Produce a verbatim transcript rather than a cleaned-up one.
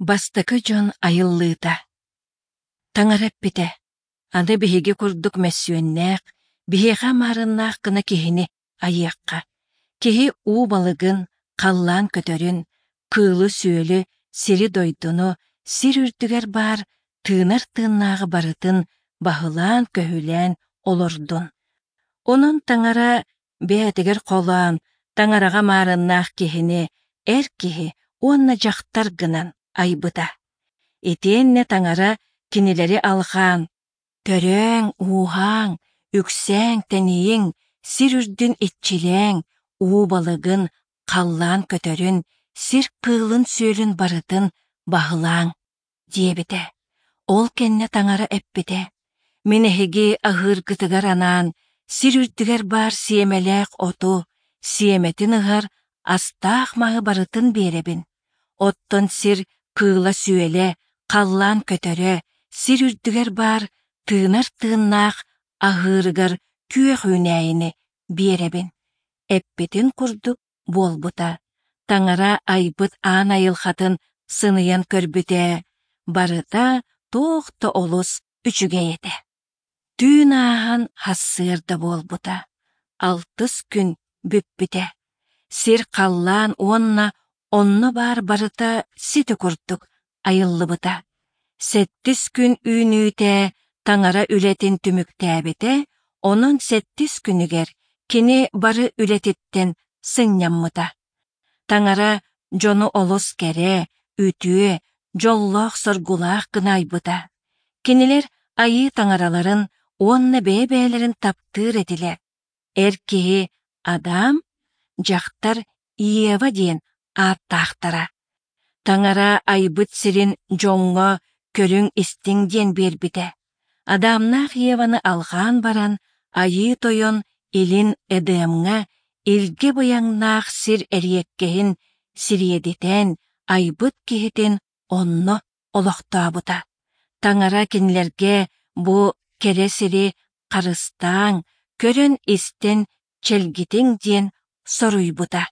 Бастакы дьон айыллыыта. Таҥара эппитэ: Аны биһиги курдук мөссүөннээх, биһиэхэ маарыннаах гына киһини айыахха. Киһи уу балыгын, халлаан көтөрүн, кыылы-сүөлү, сири-дойдуну, сир үрдүгэр баар тыынар тыыннааҕы барытын баһылаан-көһүлээн олордун. Онон Таҥара бэйэтигэр холоон, Таҥараҕа маарыннаах киһини эр киһи уонна дьахтар гынан айбыта. Итиэннэ Таҥара кинилэри алҕаан: «Төрөөҥ, ууһааҥ, үксээҥ, тэнийиҥ, сир үрдүн иччилээҥ, уу балыгын, халлаан көтөрүн, сир кыылын-сүөлүн барытын баһылааҥ» диэбитэ. Ол кэннэ Таҥара эппитэ: «Мин эһиги аһыыргытыгар анаан сир үрдүгэр баар сиэмэлээх оту, сиэмэтин ыһар астаах маһы барытын биэрэбин. Оттон сир кыыла-сүөлэ, халлаан көтөрө, сир үрдүгэр баар тыынар тыыннаах аһыырыгар күөх үүнээйини биэрэбин». Эппитин курдук буолбута. Таҥара айбыт аан айылҕатын сыныйан көрбүтэ, барыта туох да олус үчүгэй этэ. Түүн ааһан сарсыарда буолбута, алтыс күн бүппүтэ. Сир халлаан уонна онно баар барыта сити курдук айыллыбыта. Сэттис күн үүнүүтэ Таҥара үлэтин түмүктээбитэ, онон сэттис күнүгэр кини бары үлэтиттэн сынньаммыта. Таҥара дьону олус кэрэ, үтүө, дьоллоох-соргулаах гына айбыта. Кинилэр Айыы Таҥараларын уонна бэйэ-бэйэлэрин таптыыр этилэр. Эр киһи Адам, дьахтар Ева диэн ааттаахтара. Таҥара айбыт сирин дьоҥҥо көрүҥ-истиҥ диэн биэрбитэ. Адамнаах Еваны алҕаан баран, Айыы Тойон илин Эдемҥэ илгэ быйаҥнаах сир эриэккэһин сириэдитэн айбыт киһитин онно олохтообута. Таҥара кинилэргэ бу кэрэ сири харыстааҥ, көрөн-истэн чэлгитиҥ диэн соруйбута.